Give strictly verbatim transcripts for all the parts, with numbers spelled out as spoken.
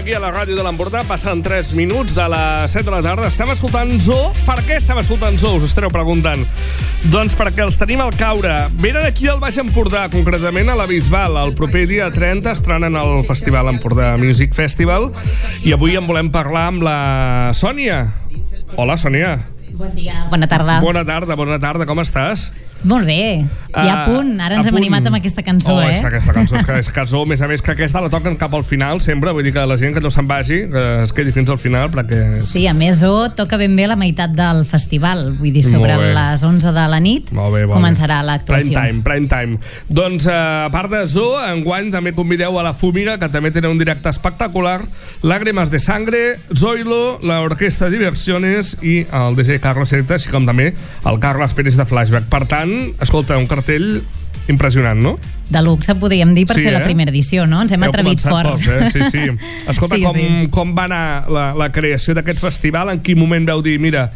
aquí a la ràdio de l'Empordà. Passen tres minuts de les set de la tarda. Estem escoltant Zoo. Per què estem escoltant Zoo? Us estareu preguntant. Doncs perquè els tenim al caure. Venen aquí al Baix Empordà, concretament a la Bisbal. El proper dia trenta estrenen el Festival Empordà Music Festival. I avui en volem parlar amb la Sònia. Hola, Sònia. Bon dia. Bona tarda. Bona tarda, bona tarda. Com estàs? Molt bé, ja a punt. Ara ens hem animat amb aquesta cançó, oh, eh? Oh, aquesta cançó és, que és cançó, a més a més que aquesta la toquen cap al final sempre, vull dir que la gent que no se'n vagi, que es quedi fins al final perquè... Sí, a més, oh, toca ben bé la meitat del festival, vull dir, sobre les onze de la nit molt bé, molt començarà l'actuació. Prime time, prime time. Doncs, a part de Zoo, enguany també convideu a la Fúmiga, que també tenen un directe espectacular, Lágrimas de Sangre, Zoilo, l'Orquestra Diversiones i el D J Carlos Selecta, així com també el Carles Pérez de Flashback. Per tant, escolta, un cartell impressionant, no? De luxe, podríem dir, per sí, ser eh? la primera edició, no? Ens hem Heu atrevit fort. Poc, eh? Sí, sí. Escolta, sí, com, sí. com va anar la, la creació d'aquest festival? En quin moment veu dir, mira,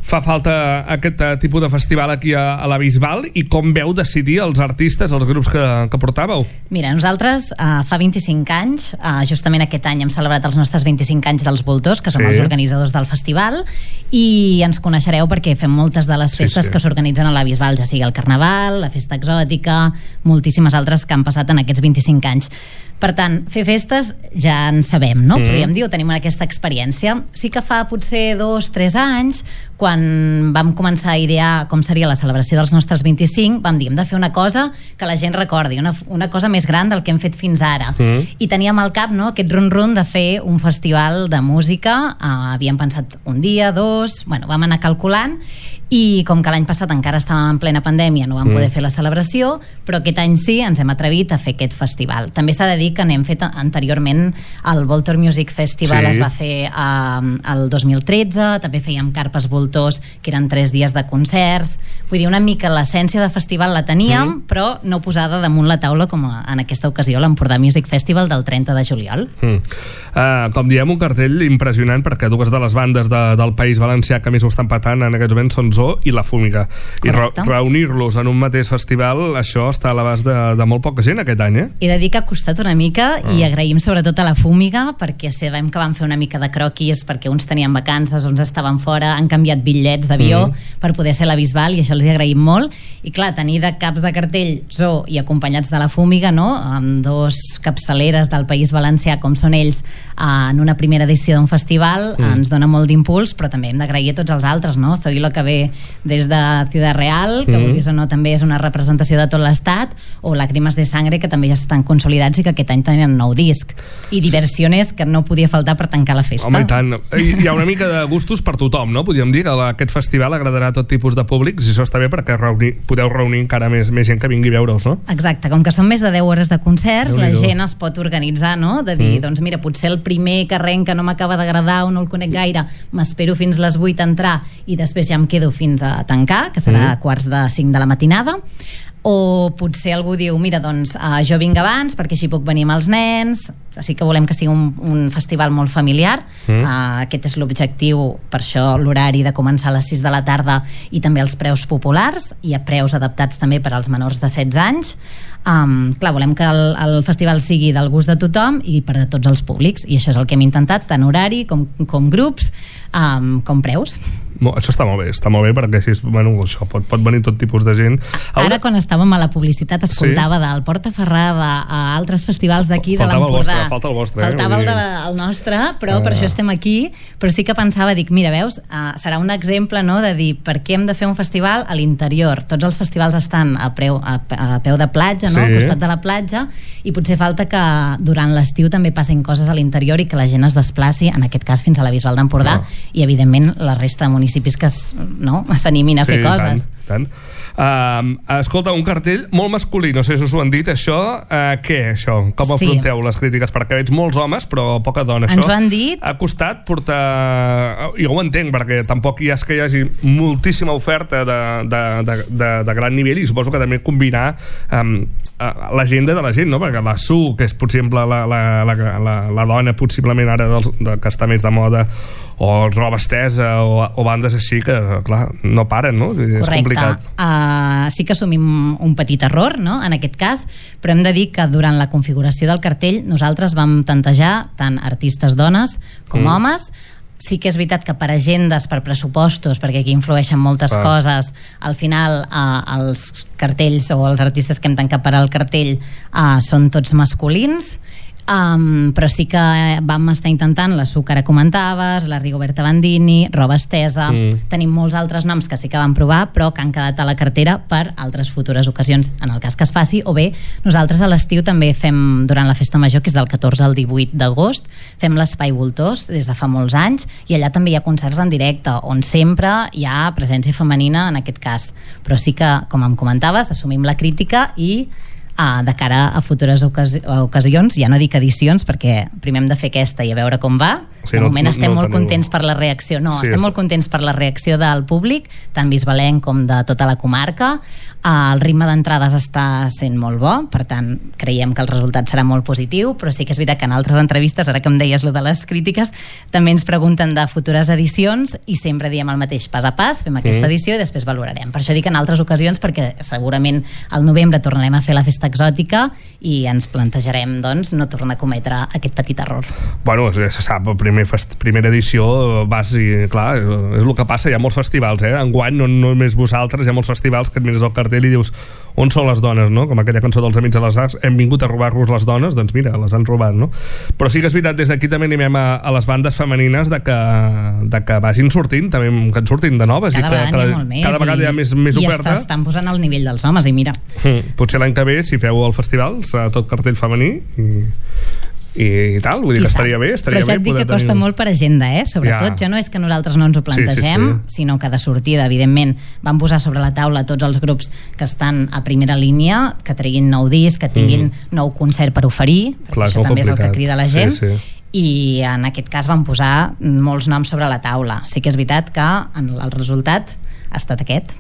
fa falta aquest tipus de festival aquí a, a la Bisbal, i com veu decidir els artistes, els grups que, que portàveu? Mira, nosaltres uh, fa vint-i-cinc anys, uh, justament aquest any hem celebrat els nostres vint-i-cinc anys dels Voltors, que som sí. els organitzadors del festival, i ens coneixereu perquè fem moltes de les festes sí, sí. que s'organitzen a la Bisbal, ja sigui el Carnaval, la Festa Exòtica, moltíssimes altres que han passat en aquests vint-i-cinc anys. Per tant, fer festes ja en sabem, no? Mm. Podríem dir, o tenim aquesta experiència. Sí que fa potser dos, tres anys, quan vam començar a idear com seria la celebració dels nostres vint-i-cinc, vam dir, hem de fer una cosa que la gent recordi, una, una cosa més gran del que hem fet fins ara. Mm. I teníem al cap, no?, aquest run-run de fer un festival de música. Uh, havíem pensat un dia, dos... Bueno, vam anar calculant, i com que l'any passat encara estàvem en plena pandèmia, no vam mm. poder fer la celebració, però aquest any sí, ens hem atrevit a fer aquest festival. També s'ha de dir que n'hem fet anteriorment el Voltor Music Festival, sí. es va fer eh, el dos mil tretze, també fèiem Carpes Voltors, que eren tres dies de concerts. Vull dir, una mica l'essència de festival la teníem, mm. però no posada damunt la taula com en aquesta ocasió l'Empordà Music Festival del trenta de juliol. Mm. Uh, com diem, un cartell impressionant, perquè dues de les bandes de, del País Valencià que més ho estan patant en aquests moments són Zoo i la Fúmiga. I re reunir-los en un mateix festival, això està a l'abast de, de molt poca gent aquest any, eh? He de dir que ha costat una mica, ah. i agraïm sobretot a la Fúmiga, perquè sabem que van fer una mica de croquis, perquè uns tenien vacances, uns estaven fora, han canviat bitllets d'avió mm. per poder ser a la Bisbal, i això els hi agraïm molt. I clar, tenir de caps de cartell Zoo i acompanyats de la Fúmiga, no?, amb dos capçaleres del País Valencià com són ells, en una primera edició d'un festival, mm. ens dona molt d'impuls, però també hem d'agrair a tots els altres, no? Zoilo, que ve des de Ciudad Real, que mm. vulguis o no també és una representació de tot l'estat, o Lágrimas de Sangre, que també ja estan consolidats i que aquest any tenen nou disc, i Diversiones, que no podia faltar per tancar la festa. Home, i tant. Hi ha una mica de gustos per tothom, no? Podríem dir que aquest festival agradarà a tot tipus de públics, i això està bé perquè reunir, podeu reunir encara més, més gent que vingui a veure'ls, no? Exacte, com que són més de deu hores de concerts, la gent es pot organitzar, no? De dir, mm. doncs mira, potser el primer que arrenca no m'acaba d'agradar o no el conec gaire, m'espero fins les vuit a entrar i després ja em quedo fins a tancar, que serà a quarts de cinc de la matinada. O potser algú diu, mira, doncs uh, jo vinc abans perquè així puc venir amb els nens. Així que volem que sigui un, un festival molt familiar. mm. uh, aquest és l'objectiu, per això l'horari de començar a les sis de la tarda, i també els preus populars i a preus adaptats també per als menors de setze anys. Um, clar, volem que el, el festival sigui del gust de tothom i per a tots els públics, i això és el que hem intentat, tant horari com, com grups, um, com preus. Això està molt bé, està molt bé, perquè així, bueno, això pot, pot venir tot tipus de gent. Ara, Ara quan estàvem a la publicitat escoltava sí? del Porta Ferrada a altres festivals d'aquí de l'Empordà. Falta el vostre, Faltava eh? el, de, el nostre, però ah. per això estem aquí. Però sí que pensava, dic, mira, veus, uh, serà un exemple, no?, de dir, per què hem de fer un festival a l'interior? Tots els festivals estan a, preu, a, a peu de platja, no?, sí. al costat de la platja, i potser falta que durant l'estiu també passin coses a l'interior i que la gent es desplaci, en aquest cas fins a la Bisbal d'Empordà, ah. i evidentment la resta de municipis que s'animin a sí, fer coses. Tant, tant. Uh, escolta, un cartell molt masculí, no sé si us ho han dit això, uh, què això? Com sí. afronteu les crítiques? Perquè veig molts homes però poca dona. Ens això ho han dit. Ha costat portar, jo ho entenc, perquè tampoc hi és que hi hagi moltíssima oferta de, de, de, de, de gran nivell, i suposo que també combinar um, l'agenda de la gent, no? Perquè la Su, que és possible la, la, la, la, la dona possiblement ara dels, de, que està més de moda, o roba estesa o, o bandes així que, clar, no paren, no? És Correcte. complicat. Uh, sí que assumim un petit error, no?, en aquest cas, però hem de dir que durant la configuració del cartell nosaltres vam tantejar tant artistes dones com mm. homes. Sí que és veritat que per agendes, per pressupostos, perquè aquí influeixen moltes ah. coses, al final eh, els cartells o els artistes que hem tancat per al cartell eh, són tots masculins. Um, però sí que vam estar intentant la Su que ara comentaves, la Rigoberta Bandini, roba estesa, mm. tenim molts altres noms que sí que vam provar però que han quedat a la cartera per altres futures ocasions en el cas que es faci, o bé nosaltres a l'estiu també fem, durant la festa major, que és del catorze al divuit d'agost, fem l'Espai Voltors des de fa molts anys, i allà també hi ha concerts en directe on sempre hi ha presència femenina en aquest cas, però sí que, com em comentaves, assumim la crítica i Uh, de cara a futures ocasi- ocasions, ja no dic edicions perquè primer hem de fer aquesta i a veure com va. Sí, de moment no, estem no molt teniu... contents per la reacció no, sí, estem és... molt contents per la reacció del públic, tant bisbalenc com de tota la comarca. Uh, el ritme d'entrades està sent molt bo, per tant creiem que el resultat serà molt positiu, però sí que és veritat que en altres entrevistes, ara que em deies lo de les crítiques, també ens pregunten de futures edicions i sempre diem el mateix, pas a pas, fem aquesta mm. edició i després valorarem. Per això dic en altres ocasions, perquè segurament al novembre tornarem a fer la festa exòtica i ens plantejarem, doncs, no tornar a cometre aquest petit error. Bueno, se sap, primer fest, primera edició vas i, clar, és el que passa, hi ha molts festivals, eh? Enguany, no només vosaltres, hi ha molts festivals que et mires al cartell i dius, on són les dones, no? Com aquella cançó dels Amics de les Arts, hem vingut a robar-vos les dones, doncs mira, les han robat, no? Però sí que és veritat, des d'aquí també animem a, a les bandes femenines de que, de que vagin sortint, també que en surtin de noves, cada i que vegada, cada, més, cada vegada i, hi ha més, més i oferta. I estan posant al nivell dels homes, i mira. Mm, potser l'any que ve, si feu el festival, serà tot cartell femení i, i, i tal, vull dir que estaria bé, estaria però ja et bé dic que tenir... costa molt per agenda, eh? Sobretot, ja. ja no és que nosaltres no ens ho plantegem, sí, sí, sí. sinó que de sortida, evidentment, vam posar sobre la taula tots els grups que estan a primera línia, que treguin nou disc, que tinguin mm. nou concert per oferir, perquè Clar, això també complicat. És el que crida la gent, sí, sí. i en aquest cas vam posar molts noms sobre la taula. Sí que és veritat que el resultat ha estat aquest.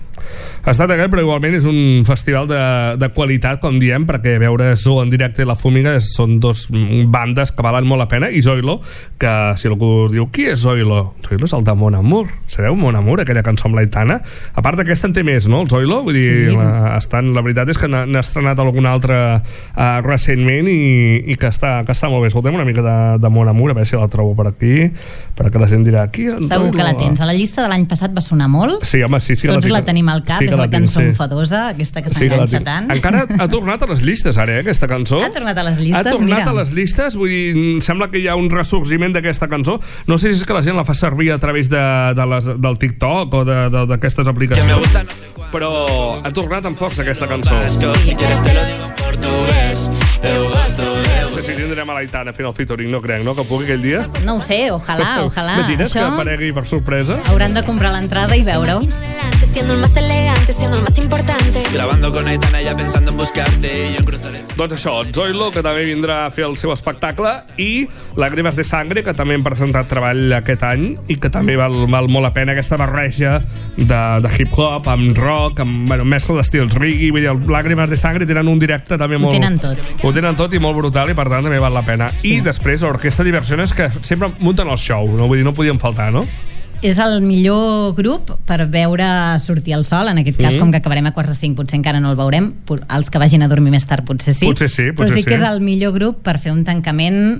Ha estat aquest, però igualment és un festival de, de qualitat, com diem, perquè veure Zoo en directe i La Fúmiga són dos bandes que valen molt la pena, i Zoilo, que si algú diu, qui és Zoilo? Zoilo és el de Mon Amour. Sabeu Mon Amour, aquella cançó amb l'Aitana? A part d'aquesta en té més, no, el Zoilo? Vull dir, sí. la, estan, la veritat és que n'ha estrenat alguna altra uh, recentment i, i que, està, que està molt bé. Escoltem una mica de, de Mon Amour, a veure si la trobo per aquí, perquè la gent dirà, qui és Segur Zoilo? Que la tens. A la llista de l'any passat va sonar molt. Sí, home, sí, sí. Tots la, la tenim al cap, sí, és la, la cançó sí. enfadosa, aquesta que s'enganxa sí, tant. Encara ha tornat a les llistes, ara, eh, aquesta cançó. Ha tornat a les llistes, Ha tornat mira. a les llistes, vull dir, sembla que hi ha un ressorgiment d'aquesta cançó. No sé si és que la gent la fa servir a través de, de les, del TikTok o d'aquestes aplicacions, però ha tornat amb força aquesta cançó. Sí. No sé si tindrem a l'Aitana fent el featuring, no crec, no? Que pugui aquell dia. No ho sé, ojalà, ojalà. Imagina't Això... que aparegui per sorpresa. Hauran de comprar l'entrada i veure-ho. Siendo el más elegante, siendo el más importante. Grabando con Aitana ya pensando en buscarte y yo en cruzar el... Doncs això, Zoilo, que també vindrà a fer el seu espectacle, i Lágrimas de Sangre, que també hem presentat treball aquest any i que també val, val molt la pena aquesta barreja de, de hip-hop amb rock, amb bueno, mescla d'estils reggae, vull dir, Lágrimas de Sangre tenen un directe també molt... Ho tenen tot. Ho tenen tot i molt brutal, i per tant també val la pena. Sí. I després l'Orquestra Diversiones, que sempre munten el show, no? Vull dir, no podien faltar, no? És el millor grup per veure sortir el sol, en aquest cas, mm-hmm. com que acabarem a quarts de cinc, potser encara no el veurem, els que vagin a dormir més tard potser sí, potser sí, potser però sí que sí. és el millor grup per fer un tancament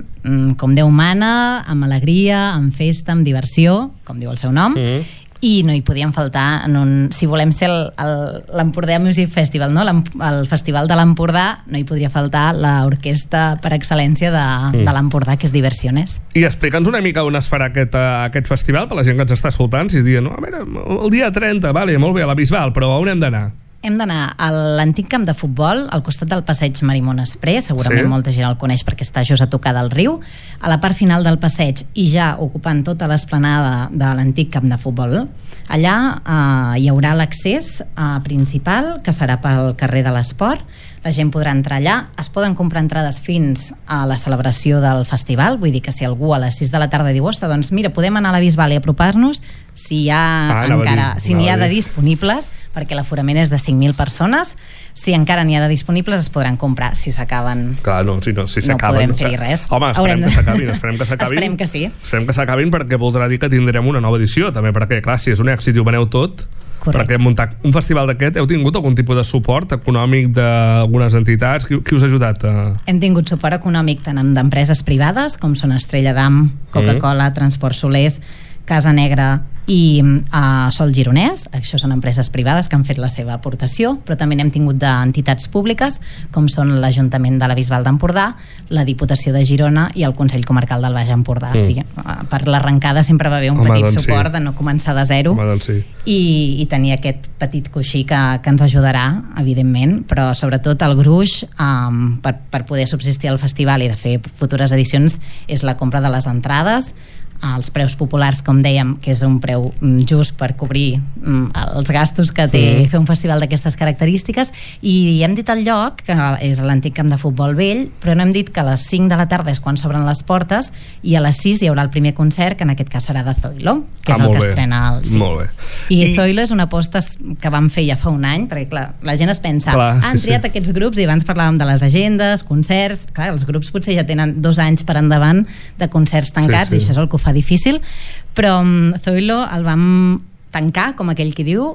com Déu mana, amb alegria, amb festa, amb diversió, com diu el seu nom, mm-hmm. i no hi podien faltar en un, si volem ser l'Empordà Music Festival, no? El festival de l'Empordà, no hi podria faltar l'orquestra per excel·lència de, mm. de l'Empordà, que és Diversiones. I explica'ns una mica on es farà aquest, uh, aquest festival, per la gent que ens està escoltant, si es diuen, no, a veure, el dia trenta, vale, molt bé, a la Bisbal, però on hem d'anar? Hem d'anar a l'antic camp de futbol, al costat del passeig Marimón Exprés, segurament sí. molta gent el coneix perquè està just a tocar del riu, a la part final del passeig i ja ocupant tota l'esplanada de l'antic camp de futbol. Allà eh, hi haurà l'accés eh, principal, que serà pel carrer de l'Esport. La gent podrà entrar allà, es poden comprar entrades fins a la celebració del festival, vull dir que si algú a les sis de la tarda diu, ostres, doncs mira, podem anar a la Bisbal i apropar-nos, si hi ha ah, encara, dir, si n'hi ha de disponibles, perquè l'aforament és de cinc mil persones. Si encara n'hi ha de disponibles, es podran comprar. Si s'acaben, Clar, no, si no, si no podrem fer-hi res. Home, esperem de... que s'acabin, esperem que s'acabin. Esperem que sí. Esperem que s'acabin, perquè voldrà dir que tindrem una nova edició, també, perquè, clar, si és un èxit i ho veneu tot, correcte. Perquè muntar un festival d'aquest, heu tingut algun tipus de suport econòmic d'algunes entitats? Qui, qui us ha ajudat? A... Hem tingut suport econòmic tant d'empreses privades, com són Estrella d'Am, Coca-Cola, mm. Transport Solers, Casa Negra i uh, Sol Gironès. Això són empreses privades que han fet la seva aportació, però també n'hem tingut d'entitats públiques, com són l'Ajuntament de la Bisbal d'Empordà, la Diputació de Girona i el Consell Comarcal del Baix Empordà. Mm. O sigui, uh, per l'arrencada sempre va haver un Home, petit doncs suport sí. de no començar de zero. Home, doncs sí. i, i tenir aquest petit coixí que, que ens ajudarà, evidentment, però sobretot el gruix um, per, per poder subsistir al festival i de fer futures edicions és la compra de les entrades, els preus populars, com dèiem, que és un preu just per cobrir mm, els gastos que té mm. fer un festival d'aquestes característiques. I hem dit el lloc, que és l'antic camp de futbol vell, però no hem dit que a les cinc de la tarda és quan s'obren les portes i a les sis hi haurà el primer concert, que en aquest cas serà de Zoilo, que ah, és el que bé. estrena el cinc. Molt bé. I, I Zoilo és una aposta que vam fer ja fa un any, perquè clar, la gent es pensa clar, han sí, triat sí. aquests grups, i abans parlàvem de les agendes, concerts, clar, els grups potser ja tenen dos anys per endavant de concerts tancats, sí, sí. i això és el que ho fa difícil, però um, Zoilo el vam tancar, com aquell qui diu,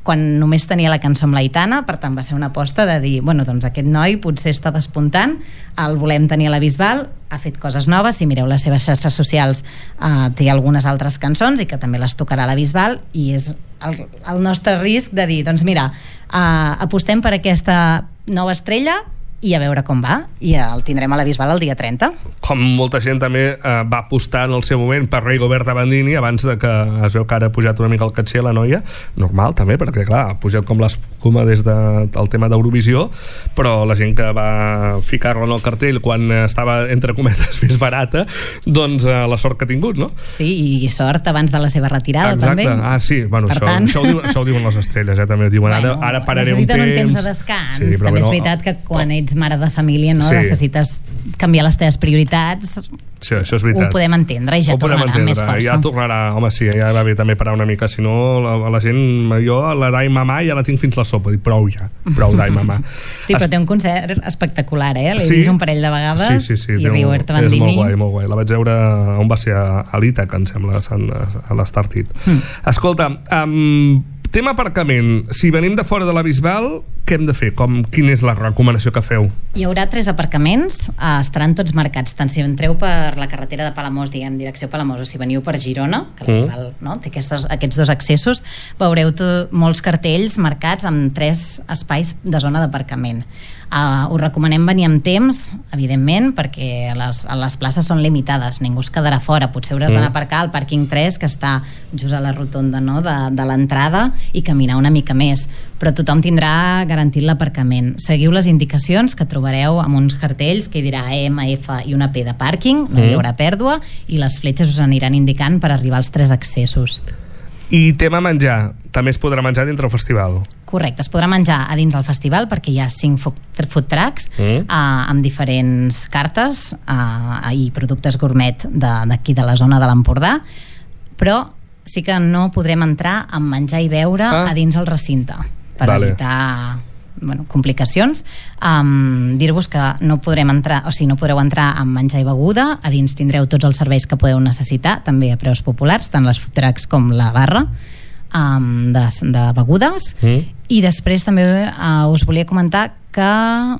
quan només tenia la cançó amb l'Aitana. Per tant va ser una aposta de dir, bueno, doncs aquest noi potser està despuntant, el volem tenir a la Bisbal, ha fet coses noves, si mireu les seves xarxes socials eh, té algunes altres cançons i que també les tocarà a la Bisbal, i és el, el nostre risc de dir, doncs mira, eh, apostem per aquesta nova estrella i a veure com va, i el tindrem a la Bisbal el dia trenta. Com molta gent també eh, va apostar en el seu moment per Rigoberta Bandini, abans de que es veu que ara ha pujat una mica el caché la noia, normal també, perquè clar, ha pujat com l'escuma des del de, tema d'Eurovisió, però la gent que va ficar-la en el cartell quan estava, entre cometes, més barata, doncs eh, la sort que ha tingut, no? Sí, i sort abans de la seva retirada. Exacte. També. Ah, sí, bueno, això, tant... això, ho diuen, això ho diuen les estrelles, eh? També diuen, bueno, ara, ara pararé un temps. Necessiten un temps de descans. Sí, també bueno, és veritat que quan oh. ets mare de família, no, sí. necessites canviar les teves prioritats. Sí, això és veritat. Ho podem entendre i ja ho tornarà entendre. amb més força. Ja tornarà, home, sí, ja va bé també parar una mica, si no la, la gent, jo la Dai Mamà ja la tinc fins la sopa, dic prou ja, prou Dai Mamà. Sí, però es... té un concert espectacular, eh? L'he sí? vist un parell de vegades, sí, sí, sí, i Rigoberta Bandini. És molt guai, molt guai. La vaig veure, on va ser, a l'Ítac, em sembla, a l'Estartit. Mm. Escolta, um, tema aparcament. Si venim de fora de la Bisbal, què hem de fer? Com, quina és la recomanació que feu? Hi haurà tres aparcaments, eh, estaran tots marcats, tant si entreu per la carretera de Palamós, diguem, direcció Palamós, o si veniu per Girona, que la Bisbal mm. no, té aquests, aquests dos accessos, veureu molts cartells marcats amb tres espais de zona d'aparcament. Uh, us recomanem venir amb temps, evidentment, perquè les, les places són limitades, ningú es quedarà fora, potser hauràs mm. d'anar a aparcar al pàrquing tres, que està just a la rotonda, no?, de, de l'entrada, i caminar una mica més, però tothom tindrà garantit l'aparcament. Seguiu les indicacions que trobareu amb uns cartells que hi dirà E M F i una P de pàrquing, no hi haurà pèrdua, i les fletxes us aniran indicant per arribar als tres accessos. I tema menjar, també es podrà menjar dintre el festival? Correcte, es podrà menjar a dins del festival perquè hi ha cinc food trucks mm. uh, amb diferents cartes uh, i productes gourmet d'aquí de, de la zona de l'Empordà, però sí que no podrem entrar amb menjar i beure ah. a dins el recinte per vale. evitar bueno, complicacions. Um, dir-vos que no podrem entrar, o sigui, no podreu entrar amb menjar i beguda, a dins tindreu tots els serveis que podeu necessitar, també a preus populars, tant les food trucks com la barra um, de, de begudes. Mm. I després també uh, us volia comentar que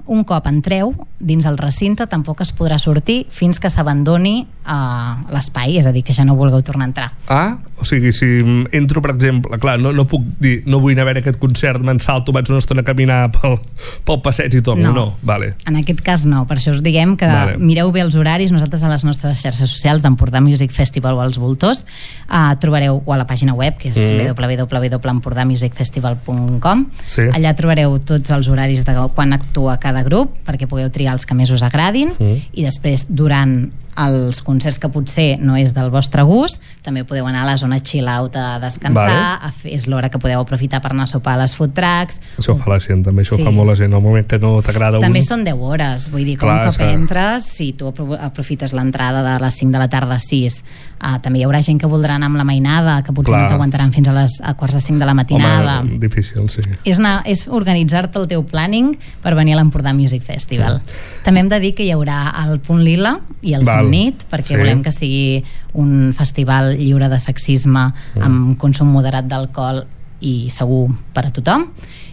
un cop entreu dins el recinte tampoc es podrà sortir fins que s'abandoni uh, l'espai, és a dir, que ja no vulgueu tornar a entrar. Ah, o sigui, si entro, per exemple, clar, no, no puc dir, no vull anar a veure aquest concert, me'n salto, vaig una estona a caminar pel, pel passeig i torno, no, no. Vale. En aquest cas no, per això us diguem que vale. mireu bé els horaris. Nosaltres a les nostres xarxes socials d'Empordà Music Festival o els Voltors uh, trobareu, o a la pàgina web, que és mm. w w w punt empordà music festival punt com, sí. allà trobareu tots els horaris de quan actua cada grup perquè pugueu triar els que més us agradin mm. i després durant els concerts que potser no és del vostre gust, també podeu anar a la zona chill out a descansar, vale. a fer, és l'hora que podeu aprofitar per anar a sopar a les food trucks. Això ho fa la gent, també això sí. ho fa molt la gent, al moment que no t'agrada un... També són deu hores, vull dir, com Clar, un cop que... entres, si tu aprofites l'entrada de les cinc de la tarda a sis, uh, també hi haurà gent que voldrà anar amb la mainada, que potser Clar. no t'aguantaran fins a les a quarts de cinc de la matinada. Home, difícil, sí. És, anar, és organitzar-te el teu planning per venir a l'Empordà Music Festival. Mm. També hem de dir que hi haurà el Punt Lila i el Somnit, perquè sí. volem que sigui un festival lliure de sexisme, mm. amb consum moderat d'alcohol i segur per a tothom.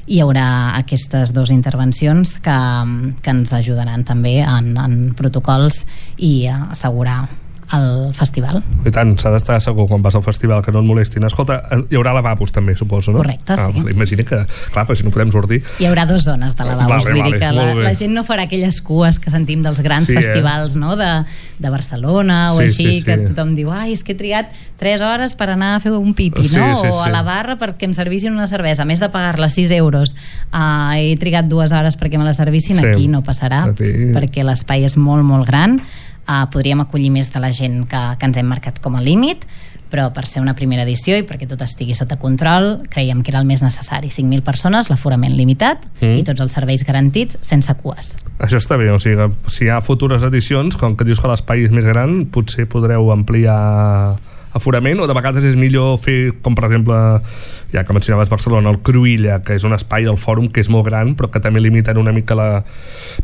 Hi haurà aquestes dues intervencions que, que ens ajudaran també en, en protocols i a assegurar al festival. I tant, s'ha d'estar segur quan vas al festival que no et molestin. Escolta, hi haurà lavabos també, suposo, no? Correcte, ah, sí. Imagina que, clar, però si no podem sortir... Hi haurà dues zones de lavabos, vale, vull vale, dir que la, la gent no farà aquelles cues que sentim dels grans sí, festivals, eh? no? de, de Barcelona o sí, així, sí, sí. que tothom diu, ai, és que he trigat tres hores per anar a fer un pipi, sí, no? Sí, o a sí. la barra perquè em servissin una cervesa, a més de pagar-la sis euros, uh, he trigat dues hores perquè me la servissin, sí. aquí no passarà, sí. perquè l'espai és molt, molt gran. Uh, podríem acollir més de la gent que, que ens hem marcat com a límit, però per ser una primera edició i perquè tot estigui sota control creiem que era el més necessari, cinc mil persones, l'aforament limitat mm. i tots els serveis garantits sense cues. Això està bé, o sigui, si hi ha futures edicions, com que dius que l'espai és més gran, potser podreu ampliar aforament, o de vegades és millor fer, com per exemple, ja que mencionaves Barcelona, el Cruïlla, que és un espai al fòrum que és molt gran, però que també limiten una mica la...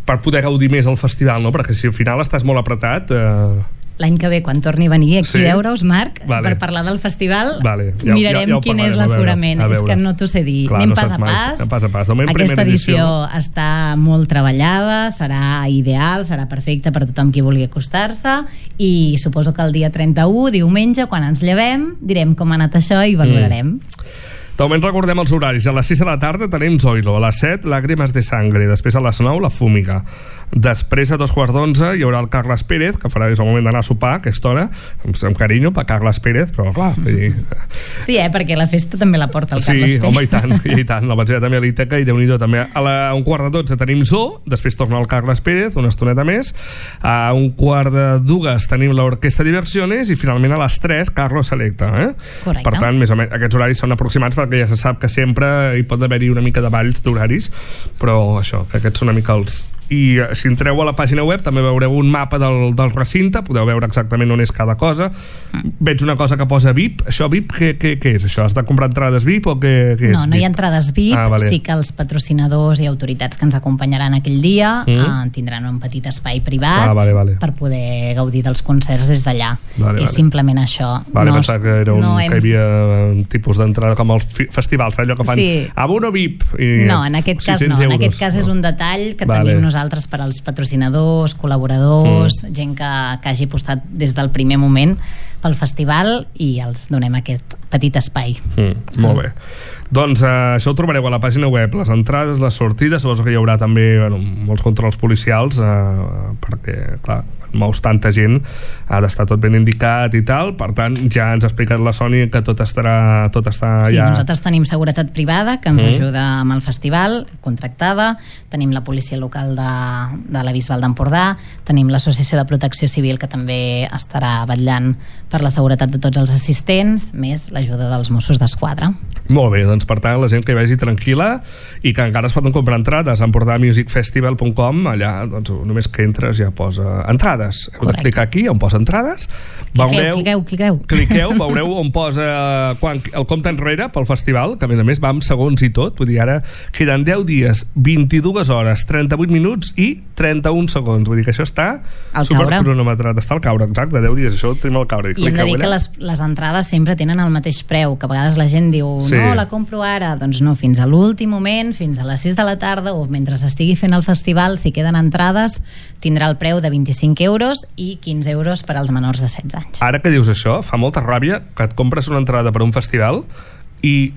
per poder gaudir més el festival, no? Perquè si al final estàs molt apretat... Eh... L'any que ve, quan torni a venir aquí sí? a veure-us, Marc, vale. per parlar del festival, vale. ja, mirarem ja, ja quin és l'aforament. És que no t'ho sé dir. Clar, Anem no pas a pas. pas, a pas. Aquesta edició, edició està molt treballada, serà ideal, serà perfecta per tothom qui vulgui acostar-se, i suposo que el dia trenta-u, diumenge, quan ens llevem, direm com ha anat això i valorarem. Mm. De moment recordem els horaris. A les sis de la tarda tenim Zoilo, a les set Lágrimas de Sangre, després a les nou La Fúmiga, després a dos quarts d'onze hi haurà el Carles Pérez, que farà des del moment d'anar a sopar a aquesta hora, amb, amb carinyo per Carles Pérez, però clar i... sí, eh, perquè la festa també la porta el sí, Carles Pérez. Sí, home, i tant, i tant la vaig també a l'Ítaca i Déu-n'hi-do també. A la, un quart de dotze tenim Zoo, després torna el Carles Pérez una estoneta més, a un quart de dues tenim l'Orquestra Diversiones i finalment a les tres Carlos Selecta, eh? Correcte. Per tant, més o menys, aquests horaris són aproximats perquè ja se sap que sempre hi pot haver-hi una mica de balls d'horaris, però això, que aquests són una mica els... I si entreu a la pàgina web també veureu un mapa del, del recinte, podeu veure exactament on és cada cosa. Mm. Veig una cosa que posa V I P. Això V I P, què, què, què és? Això has de comprar entrades V I P o què, què és? No, no hi ha entrades V I P, ah, vale. Sí que els patrocinadors i autoritats que ens acompanyaran aquell dia mm. eh, tindran un petit espai privat ah, vale, vale. per poder gaudir dels concerts des d'allà. Vale, és vale. simplement això. Vale, no, pensava que era un, no hem... que hi havia un tipus d'entrada com els festivals, allò que fan sí. abono V I P. I no, en aquest cas no. En aquest cas no. és un detall que vale. tenim nosaltres per als patrocinadors, col·laboradors, mm. gent que, que hagi apostat des del primer moment pel festival i els donem aquest petit espai. Mm, molt bé. Doncs eh, això ho trobareu a la pàgina web, les entrades, les sortides, suposo que hi haurà també bueno, molts controls policials eh, perquè, clar, mous tanta gent, ha d'estar tot ben indicat i tal, per tant ja ens ha explicat la Sònia que tot estarà tot està sí, ja... nosaltres tenim seguretat privada que ens mm. ajuda amb el festival, contractada, tenim la policia local de, de la Bisbal d'Empordà, tenim l'associació de protecció civil que també estarà vetllant per la seguretat de tots els assistents, més l'ajuda dels Mossos d'Esquadra. Molt bé, doncs per tant la gent que hi vagi tranquil·la i que encara es poden comprar entrades a empordà music festival punt com, allà doncs només que entres ja posa entrades. Heu de clicar aquí on posa entrades, veureu, cliqueu, cliqueu, cliqueu, veureu on posa quan, el compte enrere pel festival, que a més a més va amb segons i tot, vull dir, ara queden deu dies, vint-i-dues hores, trenta-vuit minuts i trenta-un segons, vull dir que això està supercronometrat, està al caure, exacte, deu dies, això ho tenim al caure. I hem de dir que les, les entrades sempre tenen el mateix preu, que a vegades la gent diu, sí. no, la compro ara, doncs no, fins a l'últim moment, fins a les sis de la tarda o mentre s'estigui fent el festival, si queden entrades, tindrà el preu de vint-i-cinc euros i quinze euros per als menors de setze anys. Ara que dius això, fa molta ràbia que et compres una entrada per un festival i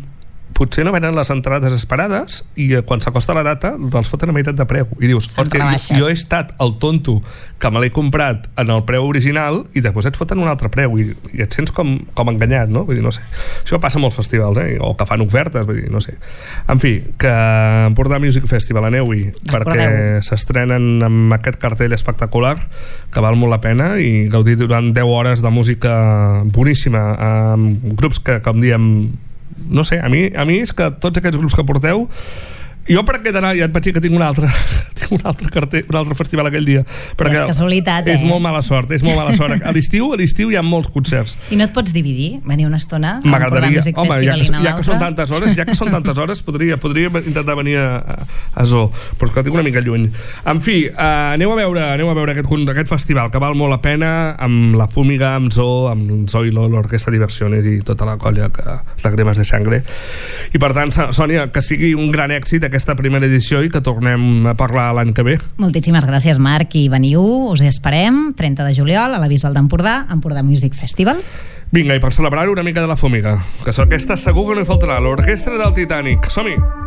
potser no venen les entrades esperades i quan s'acosta la data te'ls foten a meitat de preu i dius, hòstia, jo, jo he estat el tonto que me l'he comprat en el preu original i després et foten un altre preu i, i et sents com, com enganyat, no? Vull dir, no sé, això passa a molts festivals, eh? O que fan ofertes, vull dir, no sé, en fi, que Empordà Music Festival, aneu-hi perquè s'estrenen amb aquest cartell espectacular que val molt la pena i gaudir durant deu hores de música boníssima amb grups que, com diem, no sé, a mi, a mi és que tots aquests grups que porteu, jo per aquest anar ja et vaig dir que tinc un altre tinc un altre cartell, un altre festival aquell dia perquè és casualitat, és eh? molt mala sort, és molt mala sort a l'estiu, a l'estiu hi ha molts concerts i no et pots dividir, venir una estona a m'agradaria, Music home, Festival ja que, i anar ja que són tantes hores ja que són tantes hores, podria, podria intentar venir a, a Zoo, però és que tinc una mica lluny en fi, uh, aneu a veure aneu a veure aquest, aquest festival que val molt la pena amb la Fúmiga, amb Zoo amb Zoilo, l'Orquestra Diversiones i tota la colla que Lágrimas de Sangre i per tant, Sònia, que sigui un gran èxit aquesta primera edició i que tornem a parlar l'any que ve. Moltíssimes gràcies, Marc, i veniu, us esperem trenta de juliol a la Bisbal d'Empordà, Empordà Music Festival. Vinga, i per celebrar-ho una mica de la Fúmiga, que aquesta segur que no hi faltarà, l'Orquestra del Titanic. Som-hi!